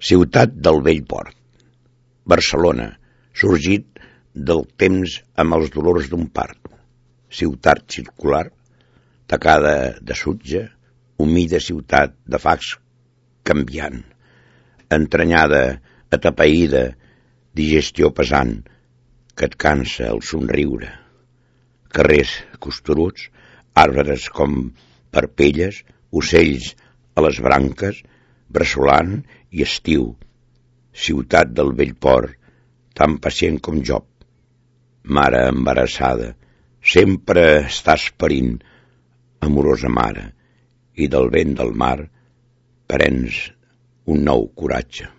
Ciutat del vell port. Barcelona, sorgit del temps amb els dolors d'un part. Ciutat circular, tacada de sutge, humida ciutat de fax canviant, entranyada, atapeïda, digestió pesant, que et cansa el somriure. Carrers costuruts, arbres com parpelles, ocells a les branques, bressolant i estiu. Ciutat del vell port, tan pacient com Job. Mare embarassada, sempre estàs parint, amorosa mare, i del vent del mar prens un nou coratge.